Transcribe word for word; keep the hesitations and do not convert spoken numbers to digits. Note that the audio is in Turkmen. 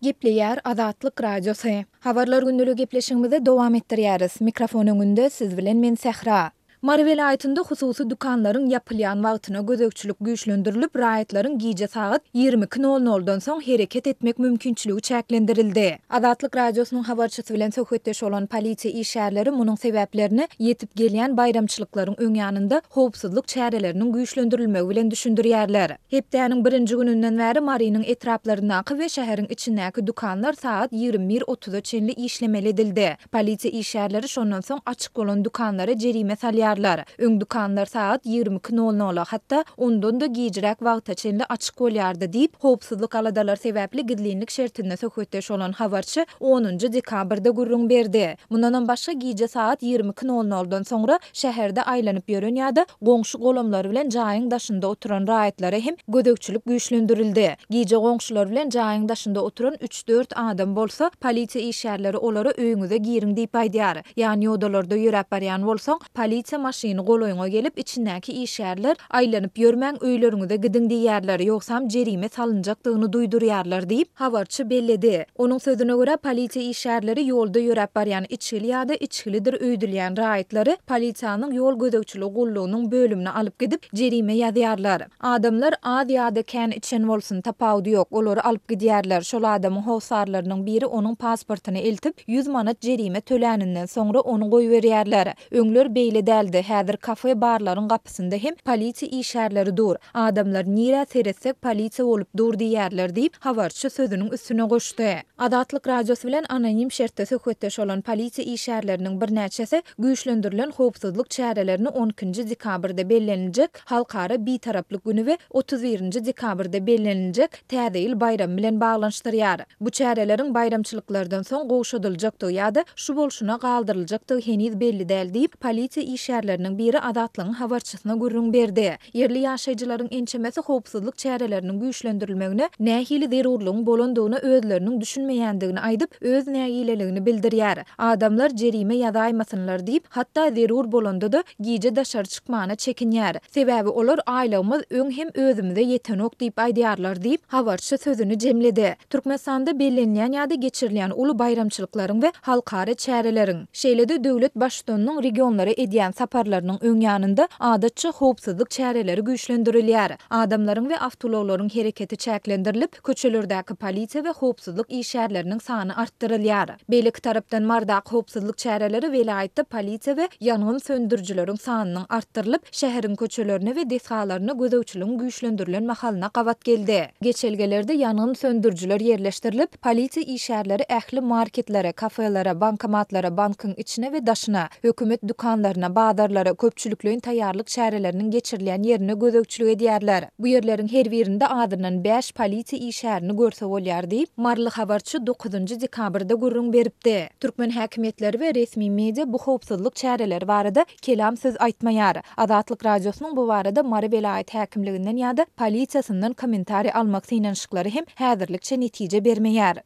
Gepleýär Azatlyk Radiosy. Habarlar gündeligi gepleşigimizi dowam etdirýäris. Mikrofon öňünde siz bilen men Sähra. Mary welaýatynda hususy dükanlaryň ýapylýan wagtyna gözegçilik güýçlendirilip, raýatlaryň gije sagat ýigrimi iki nol noldan soň hereket etmek mümkinçiligi çäklendirildi. Azatlyk Radiosynyň habarçysy bilen söhbetdeş bolan polisiýa işgärleri munuň sebäplerini ýetip gelýän baýramçylyklaryň öň ýanynda howpsuzlyk çäreleriniň güýçlendirilmegi bilen düşündirýärler. Hepdäniň birinji gününden bäri Marynyň etraplaryndaky we şäheriň içindäki dükanlar sagat ýigrimi bir otuza çenli işlemeli edildi. Polisiýa işgärleri şondan soň açyk bolan dükanlara jerime salýarlar. Öň dükanlar sagat ýigrimi iki nol nola, hatda ondan-da gijräk wagta çenli açyk bolýardy diýip, howpsuzlyk aladalary sebäpli gizlinlik şertinde söhbetdeş bolan habarçy onunjy dekabrda gürrüň berdi. Mundanam başga gije sagat ýigrimi iki nol noldan soňra şäherde aýlanyp ýören ýa-da goňşy golamlary bilen jaýyň daşynda oturan raýatlara hem gözegçilik güýçlendirildi. Gije goňşular bilen jaýyň daşynda oturan üç-dört adam bolsa, polisiýa işgärleri olara öýüňize giriň diýip aýdýar. Ýan ýodalarda ýöräp barýan bolsaň, polisiýa maşyny golaýyňa gelip, içindäki işgärler aýlanyp ýörmäň öýleriňize gidiň diýýärler, ýogsam jerime salynjakdygyny duýdurýarlar diýip, habarçy belledi. Onuň sözüne görä, polisiýa işgärleri ýolda ýöräp barýan içgili ýa-da içgilidir öýdülýän raýatlary polisiýanyň ýol gözegçiligi gullugynyň bölümine alyp gidip, jerime ýazýarlar. Adamlar az ýa-da kän içen bolsun, tapawudy ýok, olary alyp gidýärler. Şol adamyň hossarlarynyň biri onuň pasportyny eltip, ýüz manat jerime töläninden soňra ony goýberýärler. Öňler beýle däldi, häzir kafe barlaryň gapysynda hem polisiýa işgärleri dur. Adamlar nirä seretsek polisiýa bolup dur diýýärler diýip, habarçy sözüniň üstüne goşdy. Azatlyk Radiosy bilen anonim şertde söhbetdeş bolan polisiýa işgärleriniň birnäçesi güýçlendirilen howpsuzlyk çärelerini on ikinji dekabrda belleniljek Halkara Bitaraplyk güni we otuz birinji dekabrda belleniljek Täze ýyl baýramy bilen baglanyşdyrýar. Bu çäreleriň baýramçylyklardan soň gowşadyljakdygy ýa-da şu bolşuna galdyryljakdygy heniz belli däl diýip, polisiýa işgärleriniň biri Azatlygyň habarçysyna gürrüň berdi. Ýerli ýaşaýjylaryň ençemesi howpsuzlyk çäreleriniň güýçlendirilmegine nähili zerurlygyň bolandygyna özleriniň düşünmeýändigini aýdyp, öz nägileligini bildirýär. Adamlar jerime ýazaýmasynlar diýip, hatda zerur bolanda-da gije daşary çykmana çekinýär. Sebäbi olar aýlygymyz öň hem özümize ýetenok diýip aýdýarlar diýip, habarçy sözüni jemledi. Türkmenistanda bellenýän ýa-da geçirilýän uly baýramçylyklaryň we halkara çäreleriň, şeýle-de döwlet baştutanynyň regionlara edýän saparlarynyň öň ýanynda adatça howpsuzlyk çäreleri güýçlendirilýär. Adamlaryň we awtoulaglaryň hereketi çäklendirilip, köçelerdäki polisiýa we howpsuzlyk işgärleriniň sany artdyrylýar. Beýleki tarapdan Mardaky howpsuzlyk çäreleri welaýatda polisiýa we ýangyn söndürijileriň sanynyň artdyrylyp, şäheriň köçelerine we desgalaryna gözegçiligiň güýçlendirilen mahalyna gabat geldi. Geçelgelerde ýangyn söndürijiler ýerleşdirilip, polisiýa işgärleri ähli marketlere, kafelere, bankomatlara, bankyň içine we daşyna, hökümet dükanlaryna, bazarlara, köpçülikleýin taýýarlyk çäreleriniň geçirilýän ýerine gözegçilik edýärler. Bu ýerleriň her birinde azyndan bäş polisiýa işgärini görse bolýar diýip, maryly habarçy dokuzynjy dekabrda gürrüň beripdi. Türkmen häkimiýetleri we resmi media bu howpsuzlyk çäreleri barada kelam söz aýtmaýar. Azatlyk Radiosynyň bu barada Mary welaýat häkimliginden ýa-da polisiýasyndan kommentariý almak synanyşyklary hem häzirlikçe netije bermeýär.